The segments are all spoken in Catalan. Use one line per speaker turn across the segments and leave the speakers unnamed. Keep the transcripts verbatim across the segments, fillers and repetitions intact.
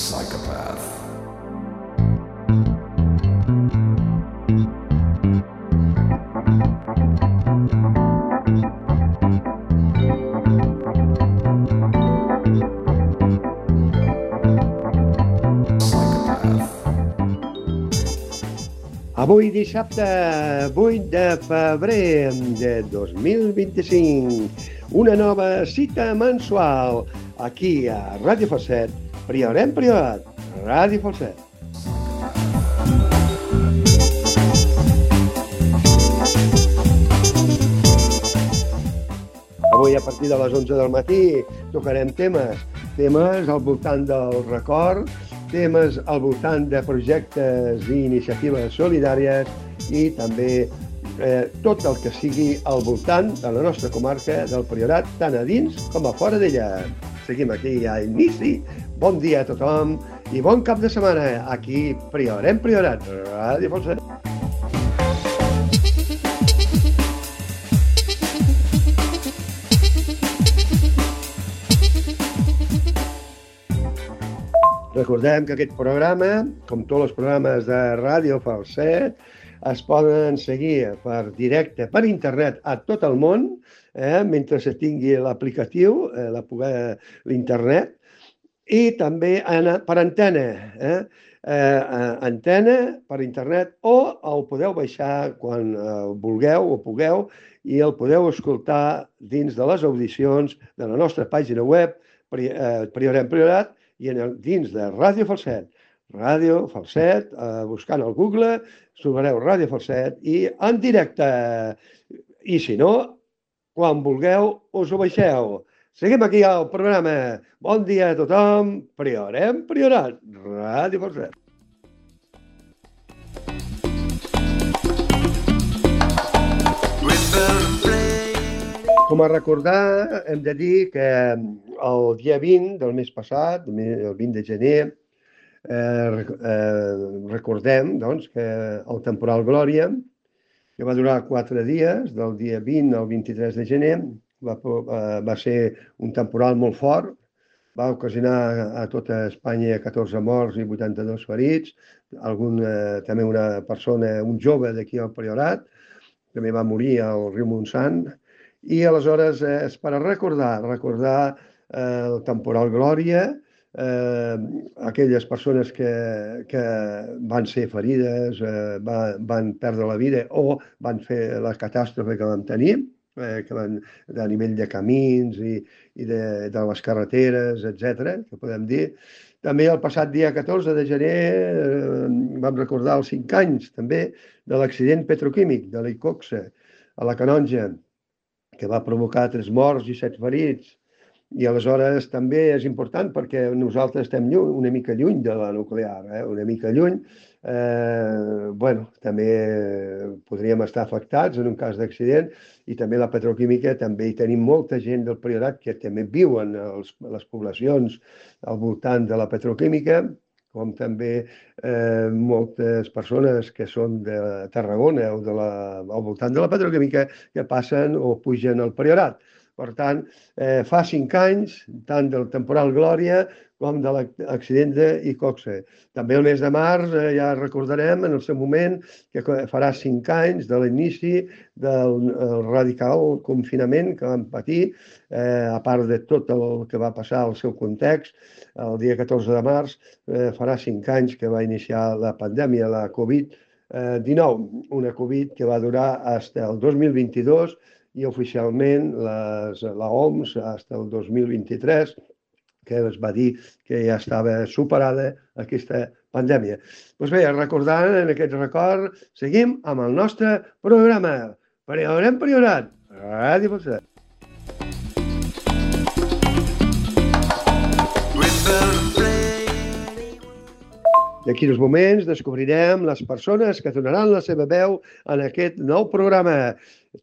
Psychopath.
Avui dissabte vuit de febrer de dos mil vint-i-cinc, una nova cita mensual aquí a Ràdio Falset, Priorem Priorat, Ràdio Falset. Avui a partir de les onze del matí tocarem temes, temes al voltant del record, temes al voltant de projectes i iniciatives solidàries i també eh, tot el que sigui al voltant de la nostra comarca del Priorat, tant a dins com a fora d'ella. Seguim aquí a inici. Bon dia a tothom i bon cap de setmana aquí Priorem Priorat, Ràdio Falset. Recordem que aquest programa, com tots els programes de Ràdio Falset, es poden seguir per directe, per internet, a tot el món, eh, mentre se tingui l'aplicatiu, eh, l'internet, i també en, per antena, eh, eh, antena per internet, o el podeu baixar quan eh, vulgueu o pugueu i el podeu escoltar dins de les audicions de la nostra pàgina web, Priorem Priorat, i en el, dins de Ràdio Falset. Ràdio Falset, eh, buscant al Google, trobareu Ràdio Falset i en directe. I si no, quan vulgueu, us ho baixeu. Seguim aquí al programa. Bon dia a tothom. Priorem Priorat, Ràdio Falset. Com a recordar, hem de dir que el dia vint del mes passat, el vint de gener, eh, eh, recordem doncs, que el temporal Glòria, que va durar quatre dies, del dia vint al vint-i-tres de gener, va, va ser un temporal molt fort, va ocasionar a tota Espanya catorze morts i vuitanta-dos ferits, algun, eh, també una persona, un jove d'aquí al Priorat, també va morir al riu Montsant. I aleshores eh, és per recordar, recordar eh, el temporal Glòria, eh, aquelles persones que, que van ser ferides, eh, va, van perdre la vida o van fer la catàstrofe que vam tenir, eh, que van, a nivell de camins i, i de, de les carreteres, etcètera, que podem dir. També el passat dia catorze de gener eh, vam recordar els cinc anys també de l'accident petroquímic de l'Icoxe a la Canonja, que va provocar tres morts i set ferits. I aleshores també és important perquè nosaltres estem lluny, una mica lluny de la nuclear, eh? una mica lluny. Eh, bueno, també podríem estar afectats en un cas d'accident i també la petroquímica, també hi tenim molta gent del Priorat que també viuen a les poblacions al voltant de la petroquímica, com també eh, moltes persones que són de Tarragona o de la, al voltant de la petroquímica que passen o pugen al Priorat. Per tant, eh, fa cinc anys, tant del temporal Glòria com de l'accident d'Icoxe. També el mes de març eh, ja recordarem en el seu moment que farà cinc anys de l'inici del radical confinament que vam patir, eh, a part de tot el que va passar al seu context. El dia catorze de març eh, farà cinc anys que va iniciar la pandèmia, la covid dinou, una Covid que va durar fins el dos mil vint-i-dos i oficialment les, la O M S fins el dos mil vint-i-tres, que es va dir que ja estava superada aquesta pandèmia. Doncs bé, recordant en aquest record, seguim amb el nostre programa. Priorem Priorat, Ràdio Falset. D'aquí uns moments descobrirem les persones que donaran la seva veu en aquest nou programa.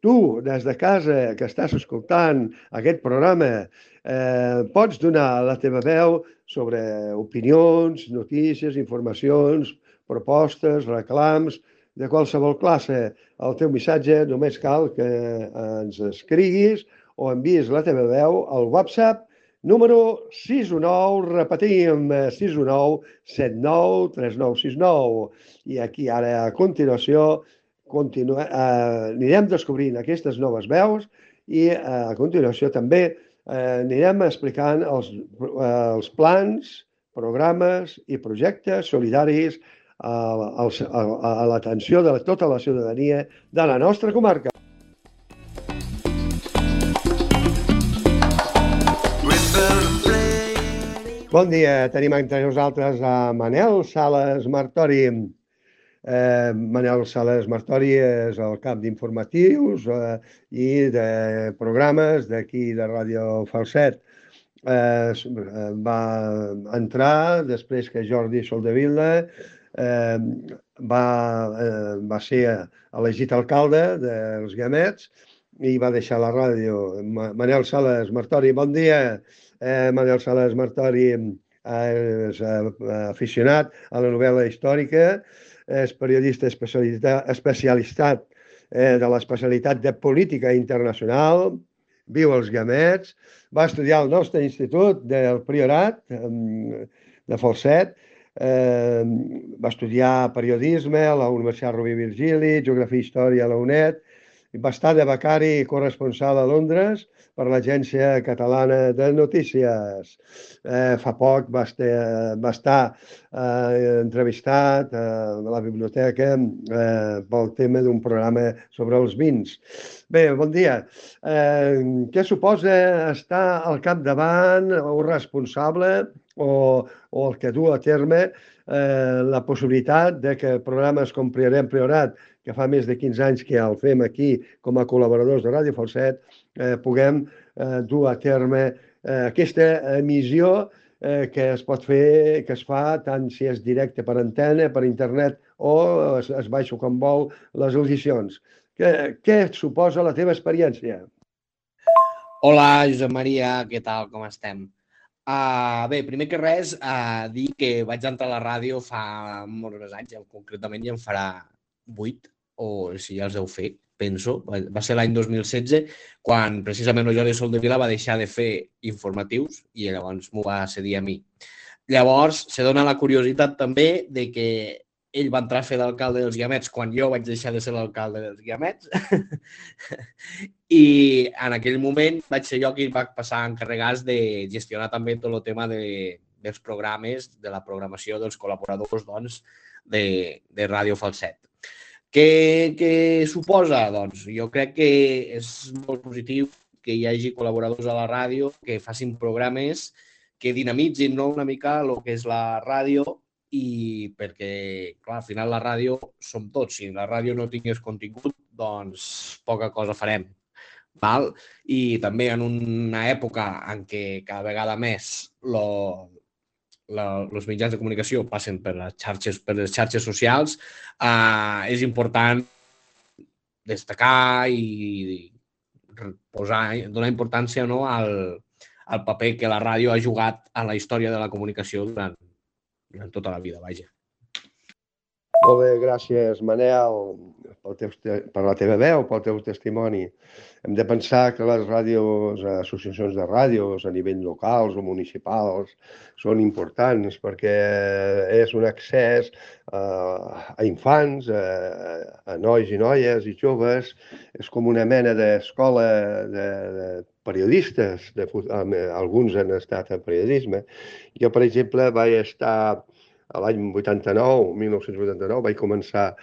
Tu, des de casa, que estàs escoltant aquest programa, eh, pots donar la teva veu sobre opinions, notícies, informacions, propostes, reclams, de qualsevol classe. El teu missatge només cal que ens escriguis o envies la teva veu al WhatsApp número sis u nou, repetim, sis u nou, set nou, tres nou sis nou. I aquí ara a continuació continua, eh, anirem descobrint aquestes noves veus i eh, a continuació també eh, anirem explicant els, eh, els plans, programes i projectes solidaris a, a, a, a l'atenció de tota la ciutadania de la nostra comarca. Bon dia, tenim entre nosaltres a Manel Sales Martori. Eh, Manel Sales Martori és el cap d'informatius eh, i de programes d'aquí de Ràdio Falset. Eh, va entrar després que Jordi Soldevila eh, va, eh, va ser elegit alcalde dels Guiamets i va deixar la ràdio. Manel Sales Martori, bon dia. Eh, Manel Sales Martori és aficionat a la novel·la històrica, és periodista especialitzat eh, de l'especialitat de política internacional, viu als Guiamets, va estudiar al nostre institut del Priorat de Falset, eh, va estudiar periodisme a la Universitat Rovira i Virgili, geografia i història a la UNED, va estar de becari corresponsal a Londres per l'Agència Catalana de Notícies. Eh, fa poc va estar, va estar eh, entrevistat eh, a la biblioteca eh, pel tema d'un programa sobre els vins. Bé, bon dia. Eh, què suposa estar al capdavant o responsable o, o el que du a terme eh, la possibilitat de que programes com Priorem Priorat, que fa més de quinze anys que el fem aquí com a col·laboradors de Ràdio Falset, eh, puguem eh, dur a terme eh, aquesta emissió eh, que es pot fer, que es fa tant si és directe per antena, per internet o es, es baixa com vol les audicions. Què, què suposa la teva experiència?
Hola, Josep Maria, què tal, com estem? Uh, bé, primer que res, uh, dir que vaig entrar a la ràdio fa molts més anys, concretament ja en farà vuit, o si ja els heu fet, penso. Va ser l'any dos mil setze, quan precisament el Jordi Soldevila va deixar de fer informatius i llavors m'ho va cedir a mi. Llavors, se dona la curiositat també de que ell va entrar a fer d'alcalde dels Guiamets quan jo vaig deixar de ser l'alcalde dels Guiamets. I en aquell moment vaig ser jo qui va passar a encarregar de gestionar també tot el tema de, dels programes, de la programació dels col·laboradors doncs, de, de Ràdio Falset. Què, què suposa? Doncs jo crec que és molt positiu que hi hagi col·laboradors a la ràdio que facin programes que dinamitzin, no, una mica el que és la ràdio, i perquè, clar, al final la ràdio som tots. Si la ràdio no tingués contingut, doncs poca cosa farem. Val? I també en una època en què cada vegada més lo, els mitjans de comunicació passen per les xarxes, per les xarxes socials, eh, és important destacar i posar, donar importància, no, al, al paper que la ràdio ha jugat a la història de la comunicació durant, durant tota la vida, vaja.
Molt bé, gràcies, Manel, pel teu, per la teva veu, pel teu testimoni. Hem de pensar que les ràdios, associacions de ràdios a nivell locals o municipals són importants perquè és un accés a infants, a nois i noies i joves. És com una mena d'escola de, de periodistes. De, alguns han estat en periodisme. Jo, per exemple, vaig estar a l'any vuitanta-nou, mil nou-cents vuitanta-nou, vaig començar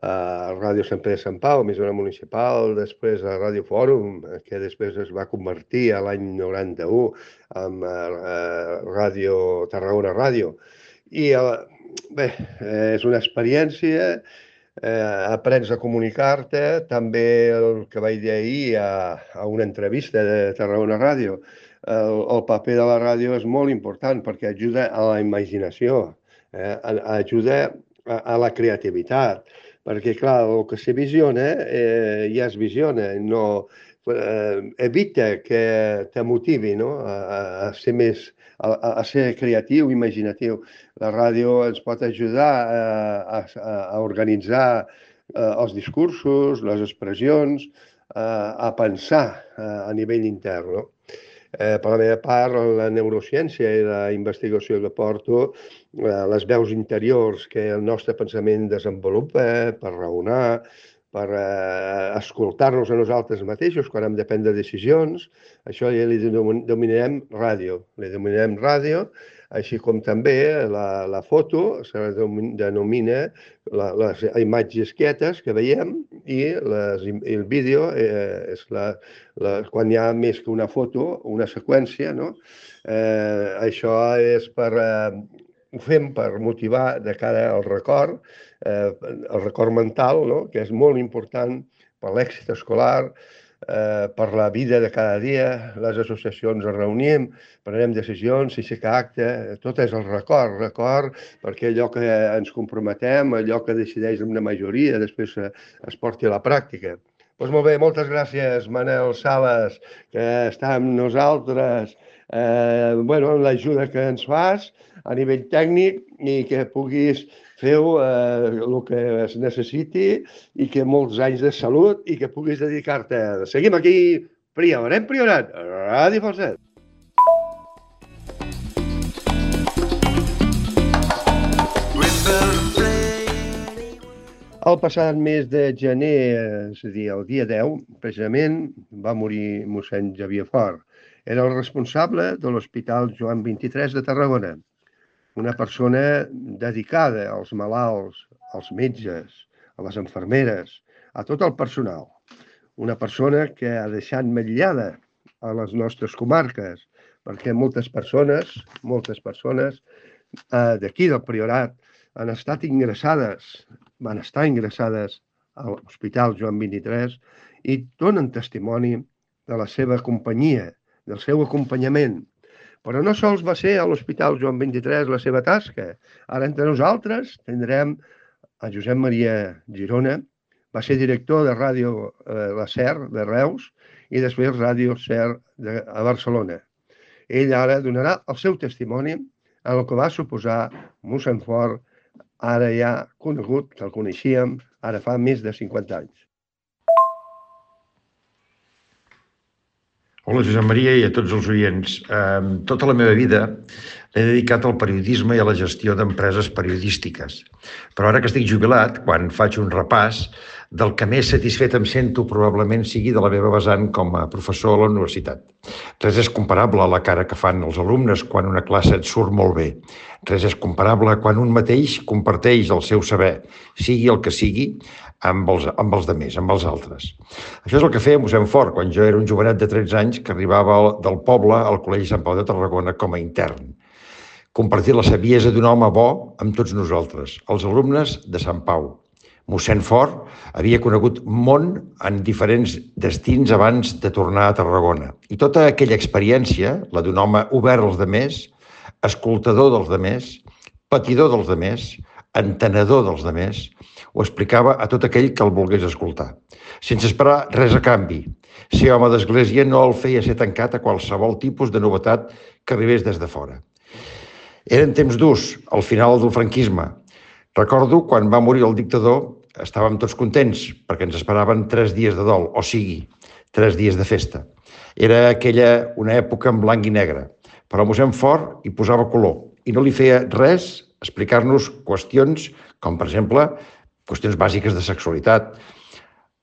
a Ràdio Sant Pere de Sant Pau, emissora municipal, després a Ràdio Fòrum, que després es va convertir a l'any noranta-u en Ràdio Tarragona Ràdio. I bé, és una experiència, eh, aprens a comunicar-te, també el que vaig dir ahir a, a una entrevista de Tarragona Ràdio. El, el paper de la ràdio és molt important perquè ajuda a la imaginació, eh, ajuda a, a la creativitat, perquè, clar, el que se visiona eh, ja es visiona, no, eh, evita que te motivi, no? a, a ser més, a, a ser creatiu, imaginatiu. La ràdio ens pot ajudar a, a, a organitzar eh, els discursos, les expressions, eh, a pensar eh, a nivell intern, no? Eh, per la meva part, la neurociència i la investigació que porto, eh, les veus interiors que el nostre pensament desenvolupa per raonar, per eh, escoltar-nos a nosaltres mateixos quan hem de prendre decisions, això ja li denominarem ràdio. Li denominarem ràdio, així com també la, la foto se denomina la, les imatges quietes que veiem i, les, i el vídeo eh, és la, la, quan hi ha més que una foto, una seqüència, no? Eh, això és per... Eh, ho fem per motivar de cara al record, eh, el record mental, no? Que és molt important per l'èxit escolar, eh, per la vida de cada dia. Les associacions es reunim, prenem decisions, si s'hi acte, tot és el record, record, perquè allò que ens comprometem, allò que decideix una majoria, després es porti a la pràctica. Doncs molt bé, moltes gràcies, Manel Sales, que està amb nosaltres, eh, bueno, amb l'ajuda que ens fas a nivell tècnic i que puguis fer eh, el que es necessiti i que molts anys de salut i que puguis dedicar-te. Seguim aquí, Prior, hem priorat, Ràdio Falset. El passat mes de gener, és a dir, el dia deu, precisament, va morir mossèn Xavier Fort. Era el responsable de l'Hospital Joan vint-i-tres de Tarragona. Una persona dedicada als malalts, als metges, a les infermeres, a tot el personal. Una persona que ha deixat metllada a les nostres comarques, perquè moltes persones, moltes persones eh, d'aquí del Priorat han estat ingressades, van estar ingressades a l'Hospital Joan vint-i-tres i donen testimoni de la seva companyia, del seu acompanyament. Però no sols va ser a l'Hospital Joan vint-i-tres la seva tasca. Ara entre nosaltres tindrem a Josep Maria Girona, va ser director de Ràdio eh, La Ser de Reus i després Ràdio Ser de, a Barcelona. Ell ara donarà el seu testimoni en el que va suposar mossèn Fort, ara ja conegut, que el coneixíem, ara fa més de cinquanta anys.
Hola, Josep Maria, i a tots els oients. Eh, tota la meva vida l'he dedicat al periodisme i a la gestió d'empreses periodístiques. Però ara que estic jubilat, quan faig un repàs, del que més satisfet em sento probablement sigui de la meva vessant com a professor a la universitat. Res és comparable a la cara que fan els alumnes quan una classe et surt molt bé. Res és comparable quan un mateix comparteix el seu saber, sigui el que sigui, amb els, amb els demés, amb els altres. Això és el que feia mossèn Fort quan jo era un jovenet de tretze anys que arribava del poble al Col·legi Sant Pau de Tarragona com a intern. Compartir la saviesa d'un home bo amb tots nosaltres, els alumnes de Sant Pau. Mossèn Fort havia conegut món en diferents destins abans de tornar a Tarragona. I tota aquella experiència, la d'un home obert als demés, escoltador dels demés, patidor dels demés, entenedor dels demés, ho explicava a tot aquell que el volgués escoltar, sense esperar res a canvi. Ser home d'església no el feia ser tancat a qualsevol tipus de novetat que arribés des de fora. Eren temps durs, al final del franquisme. Recordo quan va morir el dictador, estàvem tots contents perquè ens esperaven tres dies de dol, o sigui, tres dies de festa. Era aquella una època en blanc i negre, però mossèn Fort hi posava color i no li feia res explicar-nos qüestions com, per exemple, qüestions bàsiques de sexualitat.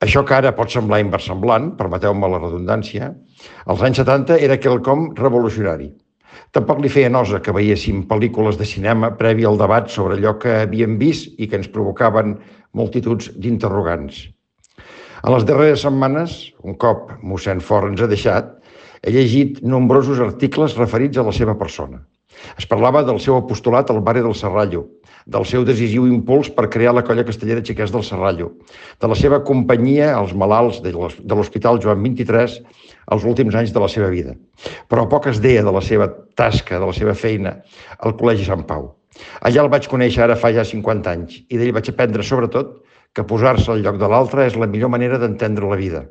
Això que ara pot semblar inversemblant, permeteu-me la redundància, als anys setanta era quelcom revolucionari. Tampoc li feia nosa que veiéssim pel·lícules de cinema previ al debat sobre allò que havíem vist i que ens provocaven multituds d'interrogants. En les darreres setmanes, un cop mossèn Fort ens ha deixat, he llegit nombrosos articles referits a la seva persona. Es parlava del seu apostolat al barri del Serrallo, del seu decisiu impuls per crear la colla castellera Xiquets del Serrallo, de la seva companyia als malalts de l'Hospital Joan vint-i-tres als últims anys de la seva vida. Però poc es deia de la seva tasca, de la seva feina al Col·legi Sant Pau. Allà el vaig conèixer ara fa ja cinquanta anys i d'ell vaig aprendre, sobretot, que posar-se al lloc de l'altre és la millor manera d'entendre la vida.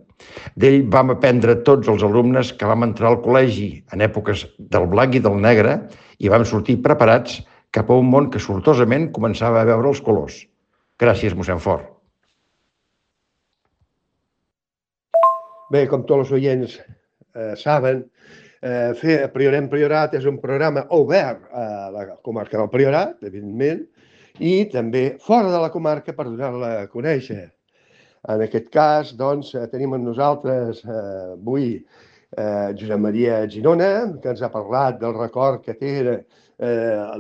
D'ell vam aprendre tots els alumnes que vam entrar al col·legi en èpoques del blanc i del negre i vam sortir preparats cap a un món que sortosament començava a veure els colors. Gràcies, mossèn Fort.
Bé, com tots els oients eh, saben, fer Priorem Priorat és un programa obert a la comarca del Priorat, evidentment, i també fora de la comarca per donar-la a conèixer. En aquest cas, doncs, tenim amb nosaltres eh, avui eh, Josep Maria Ginona, que ens ha parlat del record que té eh,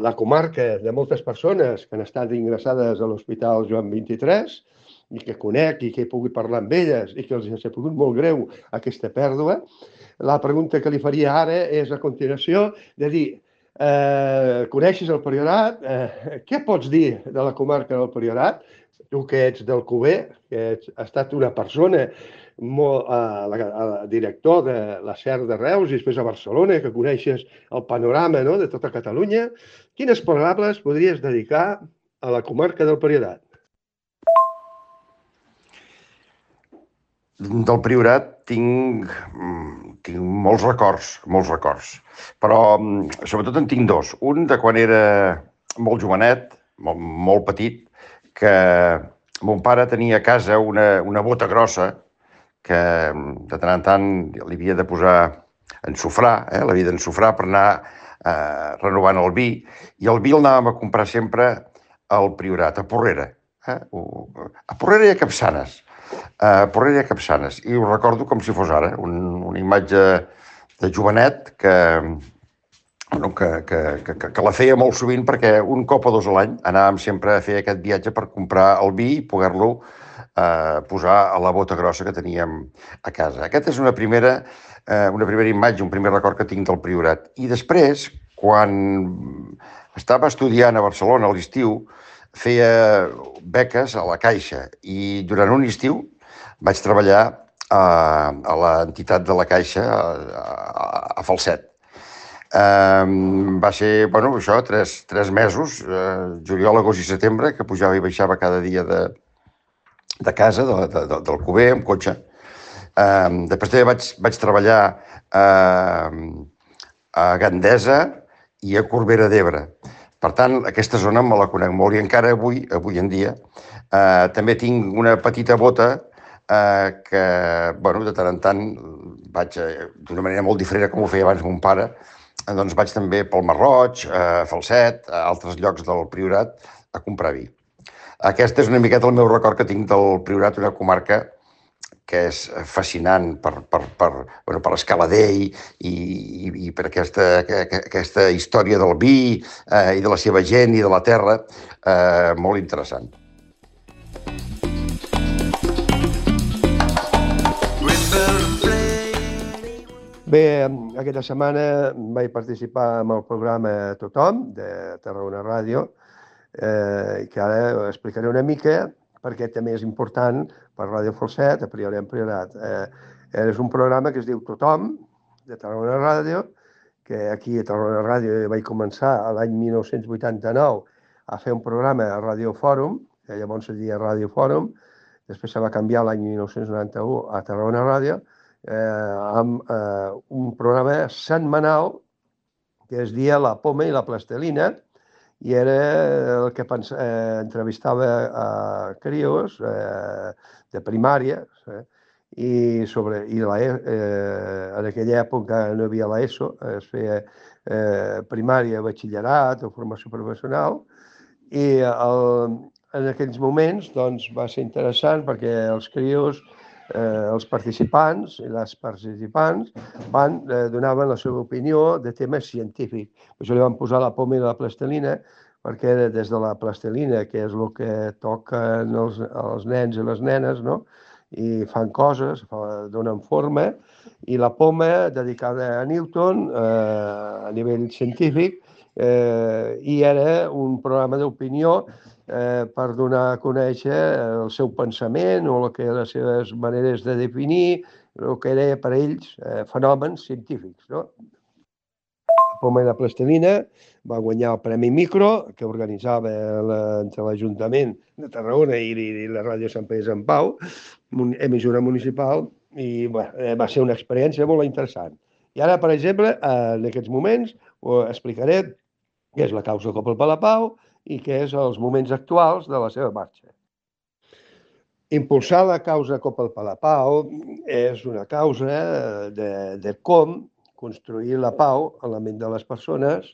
la comarca de moltes persones que han estat ingressades a l'Hospital Joan vint-i-tres i que conec i que he pogut parlar amb elles i que els ha sigut molt greu aquesta pèrdua. La pregunta que li faria ara és, a continuació, de dir, eh, coneixes el Priorat? Eh, què pots dir de la comarca del Priorat? Tu que ets del Cuber, que ets, has estat una persona, molt, eh, la, el director de la SER de Reus i després a Barcelona, que coneixes el panorama, no?, de tota Catalunya, quines paraules podries dedicar a la comarca del Priorat?
Del Priorat tinc, tinc molts records, molts records, però sobretot en tinc dos. Un de quan era molt jovenet, molt, molt petit, que mon pare tenia a casa una, una bota grossa que de tant en tant li havia de posar ensofrar, eh? l'havia d'ensofrar per anar eh, renovant el vi, i el vi el anàvem a comprar sempre al Priorat, a Porrera. Eh? A Porrera i a Capçanes. A Porrera i a Capçanes. I ho recordo com si fos ara, un, una imatge de jovenet que, bueno, que, que, que, que la feia molt sovint perquè un cop o dos a l'any anàvem sempre a fer aquest viatge per comprar el vi i poder-lo eh, posar a la bota grossa que teníem a casa. Aquesta és una primera, eh, una primera imatge, un primer record que tinc del Priorat. I després, quan estava estudiant a Barcelona a l'estiu, feia beques a la Caixa i durant un estiu vaig treballar a, a l'entitat de la Caixa a, a, a Falset. Um, va ser, bueno, això, tres, tres mesos, uh, juliol, agost i setembre, que pujava i baixava cada dia de, de casa, de, de, de, del Cuber, amb cotxe. Um, després també vaig, vaig treballar uh, a Gandesa i a Corbera d'Ebre. Per tant, aquesta zona me la conec molt i encara avui, avui en dia, eh, també tinc una petita bota eh, que, bueno, de tant en tant vaig, eh, d'una manera molt diferent com ho feia abans mon pare, eh, doncs vaig també pel Marroig, a Falset, a altres llocs del Priorat, a comprar vi. Aquest és una miqueta el meu record que tinc del Priorat, una comarca que és fascinant per, per, per, bueno, per l'escalader i, i, i per aquesta, aquesta història del vi eh, i de la seva gent i de la terra, eh, molt interessant.
Bé, aquesta setmana vaig participar en el programa Tothom, de Tarragona Ràdio, eh, que ara explicaré una mica perquè també és important per Ràdio Falset, a Priorem Priorat. Eh, és un programa que es diu Tothom, de Tarragona Ràdio, que aquí a Tarragona Ràdio vaig començar l'any mil nou-cents vuitanta-nou a fer un programa a Ràdio Fòrum, que llavors es deia Ràdio Fòrum, després se va canviar l'any mil nou-cents noranta-u a Tarragona Ràdio, eh, amb eh, un programa setmanal que es deia La Poma i la Plastelina, i era el que pensa, eh, entrevistava a crios eh, de primària, eh, i, sobre, i la, eh, en aquella època no hi havia l'ESO, es feia eh, primària, batxillerat o formació professional, i el, en aquells moments doncs, va ser interessant perquè els crios, eh, els participants i les participants van, eh, donaven la seva opinió de temes científics. Per això li van posar La Poma i la Plastelina, perquè des de la plastelina, que és el que toquen els, els nens i les nenes, no?, i fan coses, donen forma, i la poma dedicada a Newton eh, a nivell científic, eh, i era un programa d'opinió eh, per donar a conèixer el seu pensament o el que les seves maneres de definir el que era per ells eh, fenòmens científics, no? La Poma i la Plastelina va guanyar el Premi Micro, que organitzava la, entre l'Ajuntament de Tarragona i, i la Ràdio Sant Pere Sant Pau, emissora municipal, i bé, va ser una experiència molt interessant. I ara, per exemple, en aquests moments, ho explicaré què és la causa Copa el Palapau i què és els moments actuals de la seva marxa. Impulsar la causa Copa el Palapau és una causa de, de com construir la pau a la ment de les persones,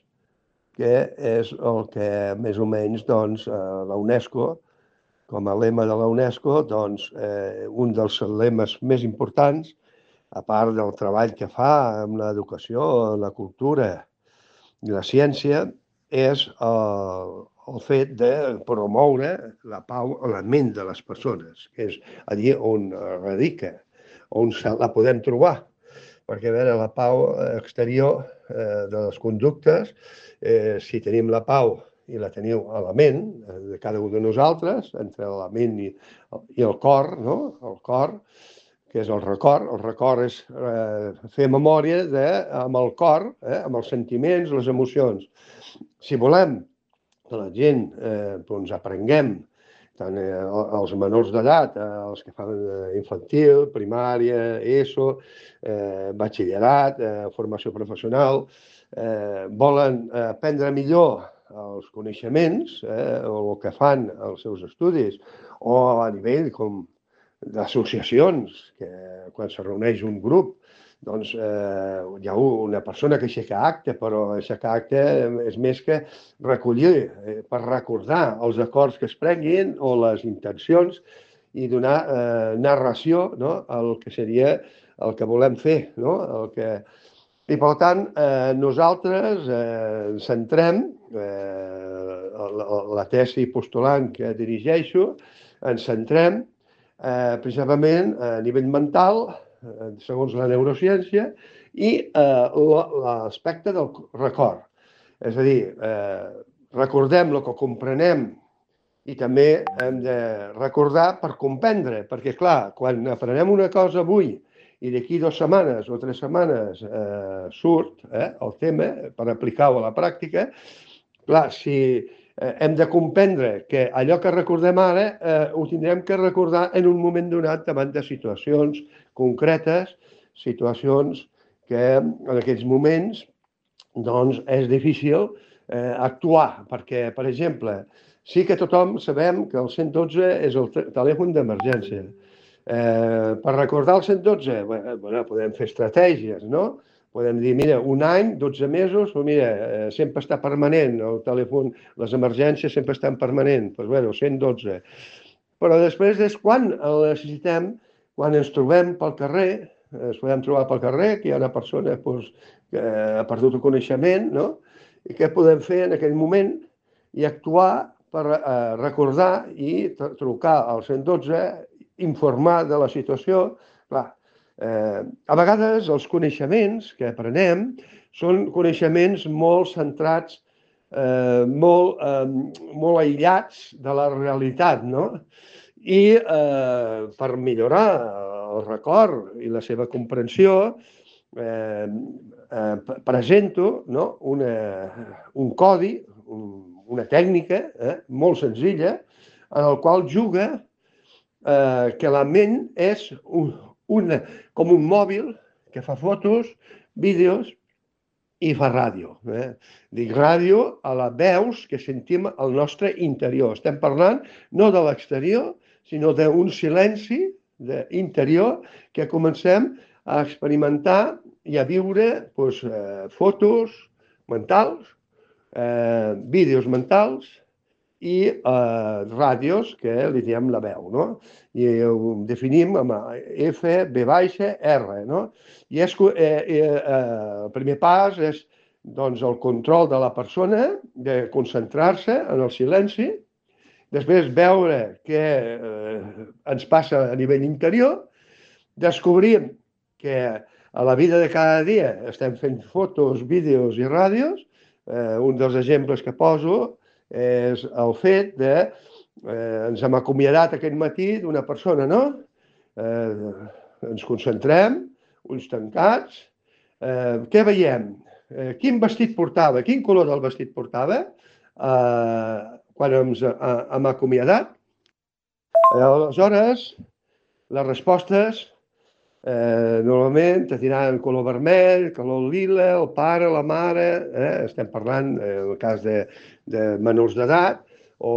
que és el que més o menys doncs, la UNESCO, com a lema de la UNESCO, doncs, eh, un dels lemes més importants, a part del treball que fa amb l'educació, la cultura i la ciència, és el, el fet de promoure la pau a la ment de les persones, que és allí on radica, on la podem trobar. Perquè, a veure, la pau exterior eh, de les conductes, eh, si tenim la pau i la teniu a la ment, eh, de cada un de nosaltres, entre la ment i, i el cor, no? El cor, que és el record. El record és eh, fer memòria de, amb el cor, eh, amb els sentiments, les emocions. Si volem que la gent eh, doncs aprenguem, tant eh, els menors d'edat, eh, els que fan infantil, primària, ESO, eh, batxillerat, eh, formació professional, eh, volen aprendre millor els coneixements, eh, o el que fan els seus estudis, o a nivell com d'associacions, que quan se reuneix un grup, doncs eh, hi ha una persona que aixeca acte, però aixecar acte és més que recollir, eh, per recordar els acords que es prenguin o les intencions i donar eh, narració, no?, al que seria el que volem fer, no? El que... I, per tant, eh, nosaltres eh, ens centrem, eh, la, la tesi postulant que dirigeixo, ens centrem eh, principalment a nivell mental, segons la neurociència, i eh, l'aspecte del record. És a dir, eh, recordem el que comprenem i també hem de recordar per comprendre, perquè, clar, quan aprenem una cosa avui i d'aquí dues setmanes o tres setmanes eh, surt eh, el tema per aplicar-ho a la pràctica, clar, si eh, hem de comprendre que allò que recordem ara eh, ho tindrem que recordar en un moment donat davant de situacions concretes, situacions que en aquests moments doncs, és difícil eh, actuar, perquè, per exemple, sí que tothom sabem que el cent dotze és el telèfon d'emergència. Eh, per recordar el cent dotze, bueno, podem fer estratègies, no? Podem dir, mira, un any, dotze mesos, però mira, eh, sempre està permanent, el telèfon, les emergències sempre estan permanents, doncs bueno, cent dotze. Però després és quan el necessitem, quan ens trobem pel carrer, ens podem trobar pel carrer, que hi ha una persona doncs, que ha perdut el coneixement, no? I què podem fer en aquell moment? I actuar per eh, recordar i trucar al cent dotze, informar de la situació. Clar, eh, a vegades els coneixements que aprenem són coneixements molt centrats, eh, molt, eh, molt aïllats de la realitat, no? I eh, per millorar el record i la seva comprensió, eh, eh, presento, no?, una, un codi, un, una tècnica eh, molt senzilla, en el qual juga eh, que la ment és un, una, com un mòbil que fa fotos, vídeos i fa ràdio. Eh? Dic ràdio a la veus que sentim al nostre interior. Estem parlant no de l'exterior, sinó d'un silenci interior que comencem a experimentar i a viure doncs, eh, fotos mentals, eh, vídeos mentals i eh, ràdios que li diem la veu, no? I ho definim amb F, B baixa, R, no? I és, eh, eh, el primer pas és doncs, el control de la persona, de concentrar-se en el silenci, després veure què eh, ens passa a nivell interior, descobrim que a la vida de cada dia estem fent fotos, vídeos i ràdios. Eh, un dels exemples que poso és el fet de eh, ens hem acomiadat aquest matí d'una persona, no? Eh, ens concentrem, ulls tancats. Eh, què veiem? Eh, quin vestit portava? Quin color del vestit portava? Eh, quan ens hem acomiadat. Aleshores, les respostes eh, normalment te diran color vermell, color lila, el pare, la mare, eh? Estem parlant, eh, en el cas de, de menors d'edat, o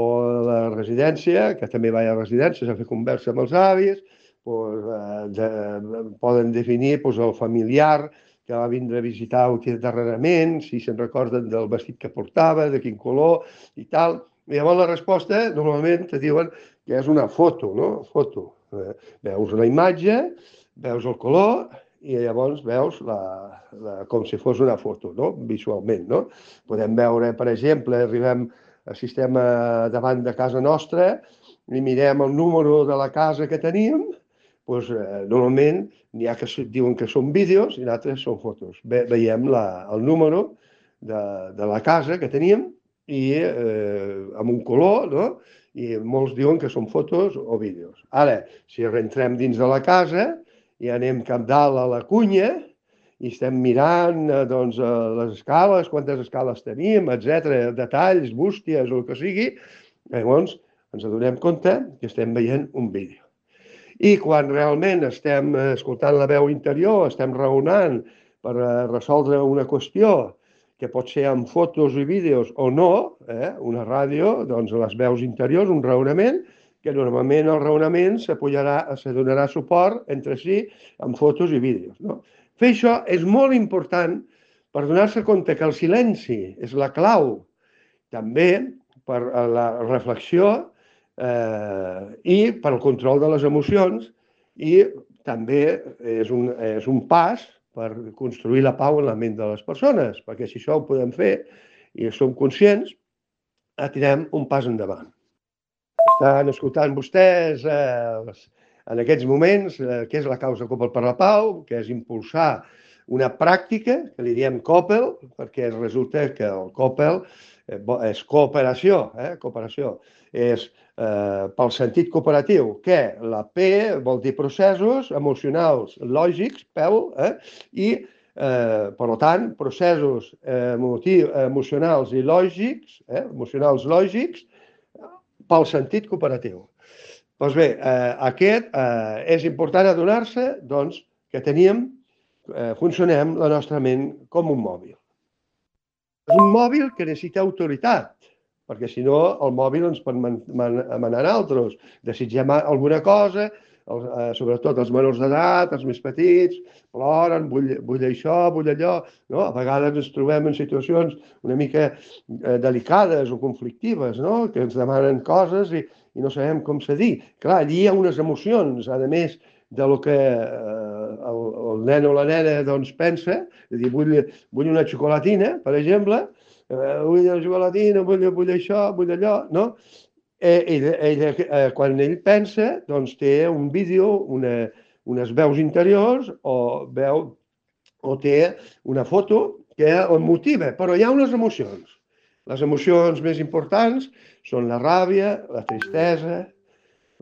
la residència, que també va a residències a fer conversa amb els avis, doncs, eh, de, poden definir doncs, el familiar que va vindre a visitar-ho darrerament, si se'n recorden del vestit que portava, de quin color i tal. I llavors la resposta normalment te diuen que és una foto, no? Foto. Eh, veus la imatge, veus el color i llavors veus la, la, com si fos una foto, no? Visualment, no? Podem veure, per exemple, arribem al sistema davant de casa nostra i mirem el número de la casa que teníem, doncs, eh, normalment n'hi ha que diuen que són vídeos i d'altres són fotos. Ve, veiem la, el número de, de la casa que teníem i eh, amb un color, no? I molts diuen que són fotos o vídeos. Ara, si rentrem dins de la casa i anem cap dalt a la cunya i estem mirant doncs, les escales, quantes escales tenim, etcètera, detalls, bústies o el que sigui, llavors ens adonem compte que estem veient un vídeo. I quan realment estem escoltant la veu interior, estem raonant per resoldre una qüestió que pot ser amb fotos i vídeos o no, eh? Una ràdio, doncs les veus interiors, un raonament, que normalment el raonament se donarà suport entre si amb fotos i vídeos. No? Fer això és molt important per donar-se compte que el silenci és la clau també per la reflexió eh, i per al control de les emocions i també és un, és un pas per construir la pau en la ment de les persones, perquè si això ho podem fer i som conscients, tirem un pas endavant. Estan escoltant vostès eh, en aquests moments eh, què és la causa Coppel per la Pau, que és impulsar una pràctica que li diem Coppel, perquè resulta que el Coppel eh, és cooperació, eh, cooperació, és eh, pel sentit cooperatiu, que la P vol dir processos emocionals lògics, P E L, eh, i eh, per tant, processos eh, emocionals i lògics, eh, emocionals lògics, pel sentit cooperatiu. Doncs bé, eh, aquest eh, és important adonar-se doncs, que teníem, eh, funcionem la nostra ment com un mòbil. És un mòbil que necessita autoritat, perquè si no el mòbil ens pot manar altres. Desitgem alguna cosa, el, eh, sobretot els menors d'edat, els més petits, ploren, vull, vull això, vull allò. No? A vegades ens trobem en situacions una mica eh, delicades o conflictives, no? Que ens demanen coses i, i no sabem com cedir. Clar, allí hi ha unes emocions, a més de lo que eh, el, el nen o la nena doncs, pensa, és a dir, vull, vull una xocolatina, per exemple, eh, vull una xocolatina, vull, vull això, vull allò, no? Ell, ell, eh, quan ell pensa, doncs té un vídeo, una, unes veus interiors o veu o té una foto que el motiva, però hi ha unes emocions. Les emocions més importants són la ràbia, la tristesa,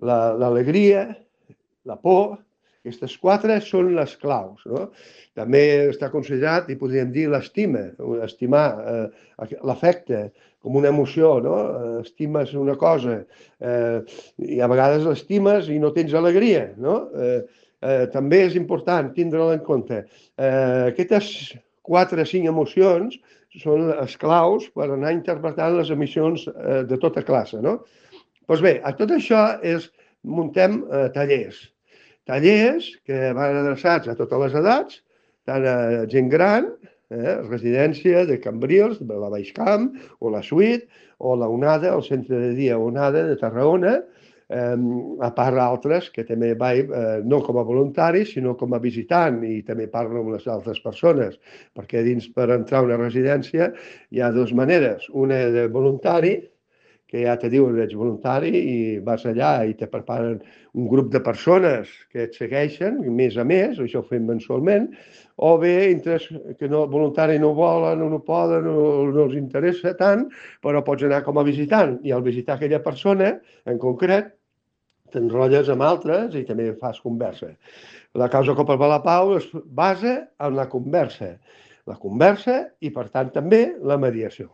l'alegria, la, la por. Aquestes quatre són les claus. No? També està considerat, i podríem dir, l'estima, estimar, eh, l'afecte, com una emoció, no? Estimes una cosa eh, i a vegades l'estimes i no tens alegria, no? Eh, eh, també és important tindre-la en compte. Eh, aquestes quatre o cinc emocions són les claus per anar interpretant les emissions eh, de tota classe, no? Doncs bé, a tot això és, muntem eh, tallers. Tallers que van adreçats a totes les edats, tant a gent gran, eh, residència de Cambrils, de la Baixcamp, o la Suite, o la Onada, el centre de dia Onada de Tarragona, eh, a part d'altres que també vaig, eh, no com a voluntari, sinó com a visitant, i també parlo amb les altres persones, perquè dins per entrar a una residència hi ha dues maneres. Una de voluntari, que ja te diuen que ets voluntari i vas allà i te preparen un grup de persones que et segueixen, més a més, això ho fem mensualment, o bé que no, voluntari no volen o no poden o no els interessa tant, però pots anar com a visitant i al visitar aquella persona, en concret, t'enrotlles amb altres i també fas conversa. La causa Coppel per la Pau es basa en la conversa. La conversa i, per tant, també la mediació.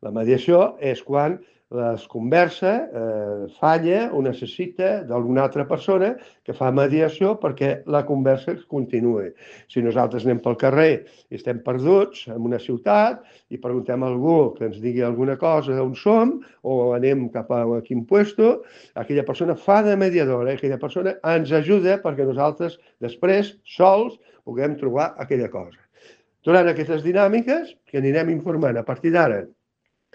La mediació és quan es conversa, eh, falla o necessita d'alguna altra persona que fa mediació perquè la conversa continuï. Si nosaltres anem pel carrer i estem perduts en una ciutat i preguntem a algú que ens digui alguna cosa d'on som o anem cap a quin puesto, aquella persona fa de mediadora, aquella persona ens ajuda perquè nosaltres després, sols, puguem trobar aquella cosa. Durant aquestes dinàmiques, que anirem informant a partir d'ara,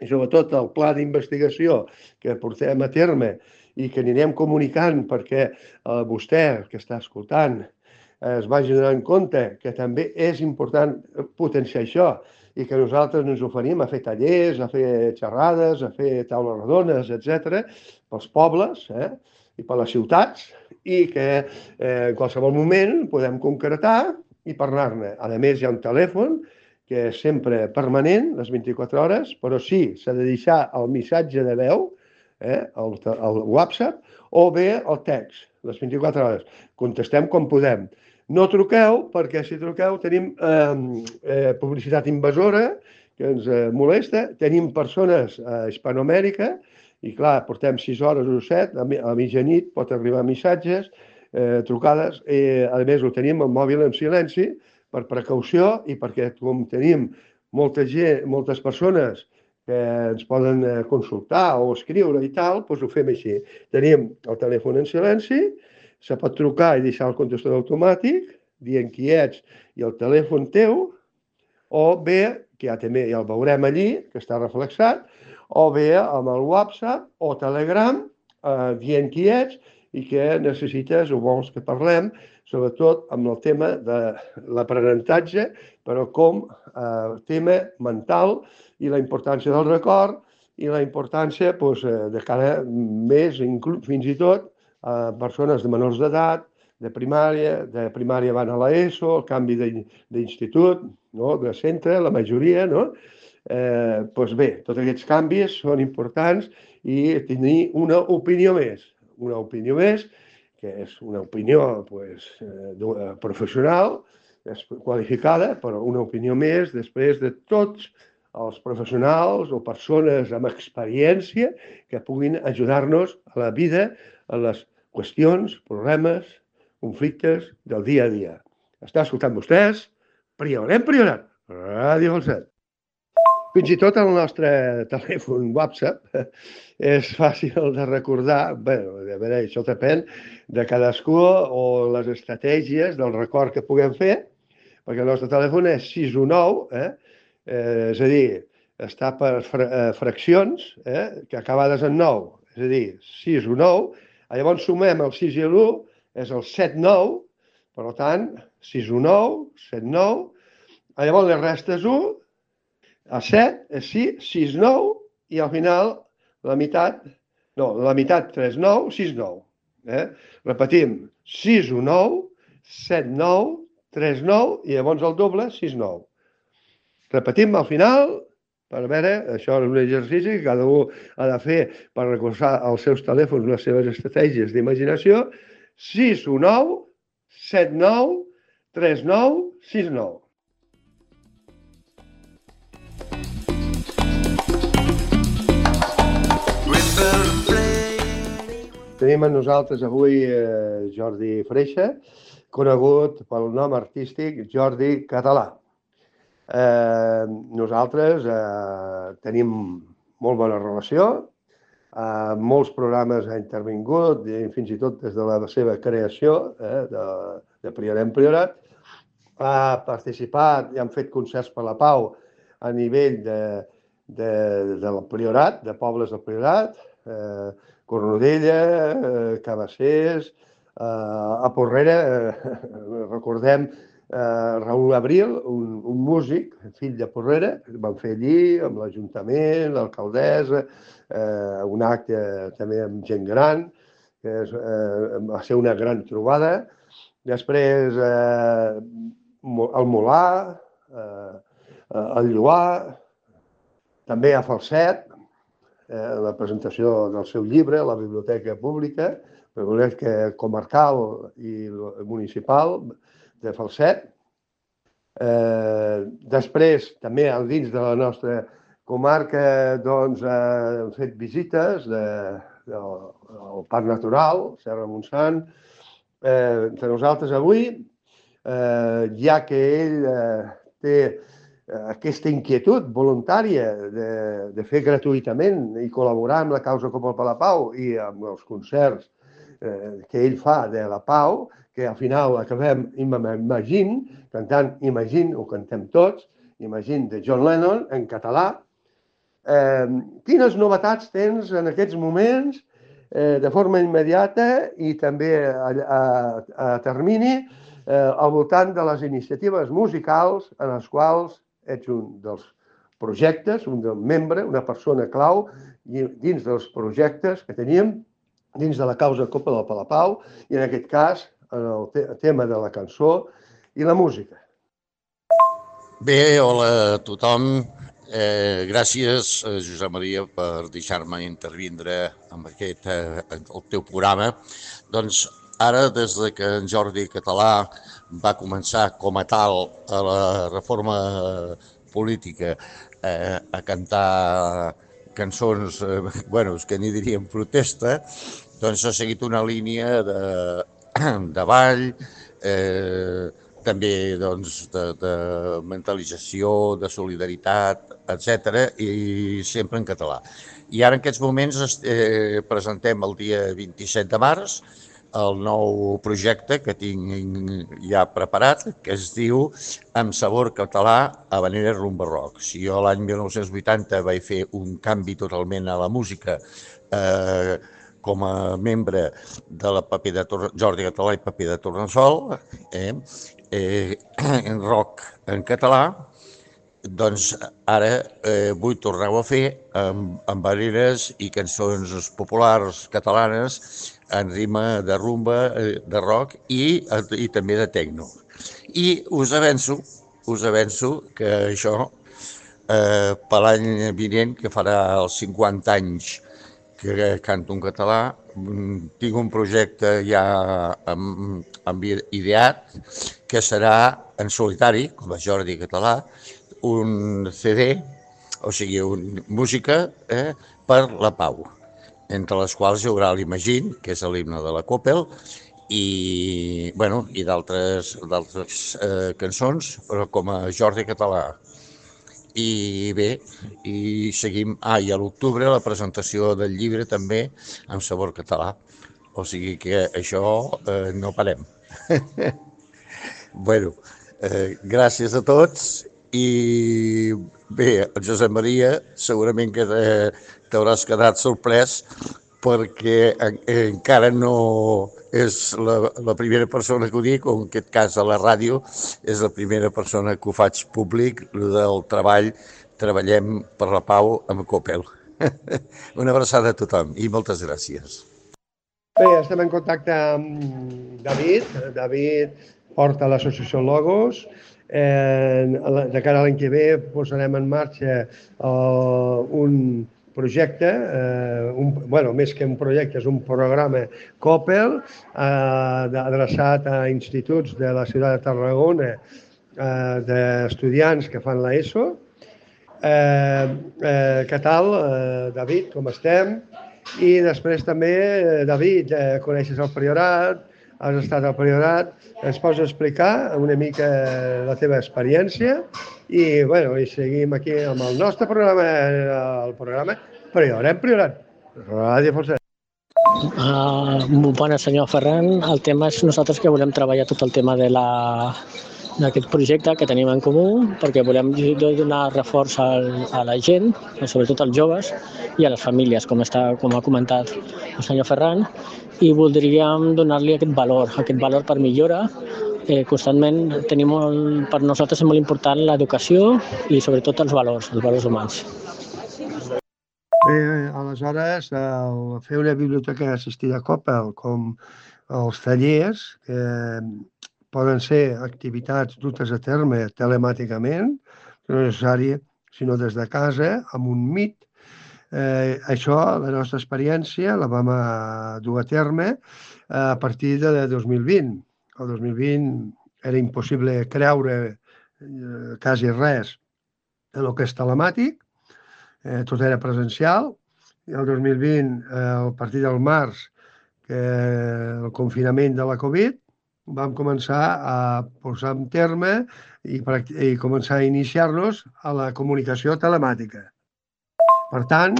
i sobretot el pla d'investigació que portem a terme i que anirem comunicant perquè eh, vostè, que està escoltant, eh, es vagi donant compte que també és important potenciar això i que nosaltres ens oferim a fer tallers, a fer xerrades, a fer taules rodones, etcètera, pels pobles eh, i per les ciutats, i que eh, en qualsevol moment podem concretar i parlar-ne. A més, hi ha un telèfon que és sempre permanent, les vint-i-quatre hores, però sí, s'ha de deixar el missatge de veu, eh, el, el WhatsApp, o bé el text, les vint-i-quatre hores. Contestem quan podem. No truqueu, perquè si truqueu tenim eh, eh, publicitat invasora que ens eh, molesta, tenim persones a Hispanoamèrica, i clar, portem sis hores o set, a, a mitjanit pot arribar missatges, eh, trucades, i a més ho tenim el mòbil en silenci, per precaució i perquè com tenim molta gent, moltes persones que ens poden consultar o escriure i tal, doncs ho fem així. Tenim el telèfon en silenci, se pot trucar i deixar el contestador automàtic, dient qui ets i el telèfon teu, o bé, que ja també ja el veurem allí, que està reflexat, o bé amb el WhatsApp o Telegram, eh, dient qui ets i que necessites o vols que parlem, sobretot amb el tema de l'aprenentatge, però com eh, tema mental i la importància del record i la importància doncs, de cara més, fins i tot, a persones de menors d'edat, de primària, de primària van a l'ESO, el canvi d'institut, no? De centre, la majoria, no? Eh, doncs bé, tots aquests canvis són importants i tenir una opinió més, una opinió més, que és una opinió pues, eh, professional, és qualificada, però una opinió més després de tots els professionals o persones amb experiència que puguin ajudar-nos a la vida, a les qüestions, problemes, conflictes del dia a dia. Està escoltant vostès? Priorem, priorat! Ràdio Falset. Fins i tot el nostre telèfon WhatsApp és fàcil de recordar. Bé, a veure, això depèn de cadascú o les estratègies del record que puguem fer, perquè el nostre telèfon és sis u nou, eh? Eh, és a dir, està per fraccions eh? que acabades en nou, és a dir, sis u nou, llavors sumem el sis i l'u, és el set nou, per tant, sis u nou, set nou, llavors les restes u, a set és sis, sis nou, i al final la meitat, no, la meitat tres nou, sis nou. Eh? Repetim, sis u nou, set nou, tres nou, i llavors el doble, sis nou. Repetim al final, per veure, això és un exercici que cada un ha de fer per recordar als seus telèfons les seves estratègies d'imaginació. sis u nou, set nou, tres nou, sis nou. Tenim amb nosaltres avui eh, Jordi Freixa, conegut pel nom artístic Jordi Català. Eh, nosaltres eh, tenim molt bona relació, eh, molts programes ha intervingut, i fins i tot des de la seva creació, eh, de, de Priorem Priorat. Ha participat i han fet concerts per la pau a nivell de, de, del Priorat, de pobles del Priorat, eh, Cornudella, eh, Cabassers, eh, a Porrera, eh, recordem eh, Raül Abril, un, un músic, fill de Porrera, que van fer allí amb l'Ajuntament, l'alcaldessa, eh, un acte també amb gent gran, que és, eh, va ser una gran trobada. Després eh, el Molar, eh, el Lloar, també a Falset, Eh, la presentació del seu llibre a la Biblioteca Pública, la Biblioteca Comarcal i Municipal de Falset. Eh, després, també dins de la nostra comarca, doncs, eh, hem fet visites de, de, del Parc Natural, Serra Montsant. Eh, entre nosaltres avui, eh, ja que ell eh, té aquesta inquietud voluntària de, de fer gratuïtament i col·laborar amb la causa com el Palau i amb els concerts que ell fa de la pau, que al final acabem Imagine, cantant Imagine, ho cantem tots, Imagine de John Lennon en català. Eh, quines novetats tens en aquests moments eh, de forma immediata i també a, a, a termini eh, al voltant de les iniciatives musicals en les quals ets un dels projectes, un del membre, una persona clau dins dels projectes que teníem dins de la causa Copa del Palapau i en aquest cas en el te tema de la cançó i la música.
Bé, hola a tothom. Eh, gràcies, Josep Maria, per deixar-me intervindre en aquest, eh, el teu programa. Doncs ara, des de que en Jordi Català va començar com a tal a la reforma política eh, a cantar cançons, eh, bueno, que n'hi diríem protesta, doncs ha seguit una línia de, de ball, eh, també doncs, de, de mentalització, de solidaritat, etcètera, i sempre en català. I ara en aquests moments eh, presentem el dia vint-i-set de març el nou projecte que tinc ja preparat, que es diu Amb sabor català, habanera rumba rock. Si jo l'any mil nou-cents vuitanta vaig fer un canvi totalment a la música eh, com a membre de la Paper de Tor Jordi Català i Paper de Tornassol, eh, eh, en rock en català, doncs ara eh, vull tornar-ho a fer amb, amb habaneres i cançons populars catalanes en rima de rumba, de rock i, i també de tecno. I us avanço, us avanço que això, eh, per l'any vinent, que farà els cinquanta anys que canto en català, tinc un projecte ja amb, amb ideat, que serà en solitari, com a Jordi Català, un C D, o sigui, una música eh, per la pau, entre les quals hi haurà l'Imagine, que és l'himne de la Coppel, i, bueno, i d'altres eh, cançons, però com a Jordi Català. I bé, i seguim... Ah, i a l'octubre la presentació del llibre també amb sabor català. O sigui que això eh, no parem. Bueno, eh, gràcies a tots i bé, Josep Maria, segurament que t'hauràs quedat sorprès perquè en, encara no és la, la primera persona que ho dic, o en aquest cas a la ràdio, és la primera persona que ho faig públic, del treball, treballem per la pau amb Coppel. Una abraçada a tothom i moltes gràcies.
Bé, estem en contacte amb David. David porta l'associació Logos. Eh, de cara a l'any que ve posarem en marxa uh, un projecte, eh, un, bueno, més que un projecte, és un programa Coppel eh, adreçat a instituts de la ciutat de Tarragona eh, d'estudiants que fan l'ESO. Eh, eh, què tal, eh, David, com estem? I després també, David, eh, coneixes el Priorat, has estat al Priorat, ens pots explicar una mica la teva experiència i, bueno, i seguim aquí amb el nostre programa, el programa Priorat, Priorat, Ràdio Força.
Uh, bona, senyor Ferran. El tema és nosaltres que volem treballar tot el tema de la d'aquest projecte que tenim en comú, perquè volem donar reforç al, a la gent, sobretot als joves i a les famílies, com, està, com ha comentat el senyor Ferran, i voldríem donar-li aquest valor, aquest valor per millora. Eh, constantment tenim molt, per nosaltres és molt important l'educació i sobretot els valors, els valors humans.
Bé, aleshores, el fer una biblioteca assistida a Coppel, com els tallers, que poden ser activitats dutes a terme telemàticament, no és necessari, sinó des de casa, amb un Meet. Eh, això, la nostra experiència, la vam a dur a terme a partir de dos mil vint. El dos mil vint era impossible creure eh, quasi res en el que és telemàtic, eh, tot era presencial, i el dos mil vint, eh, a partir del març, que el confinament de la Covid, vam començar a posar en terme i, i començar a iniciar-nos a la comunicació telemàtica. Per tant,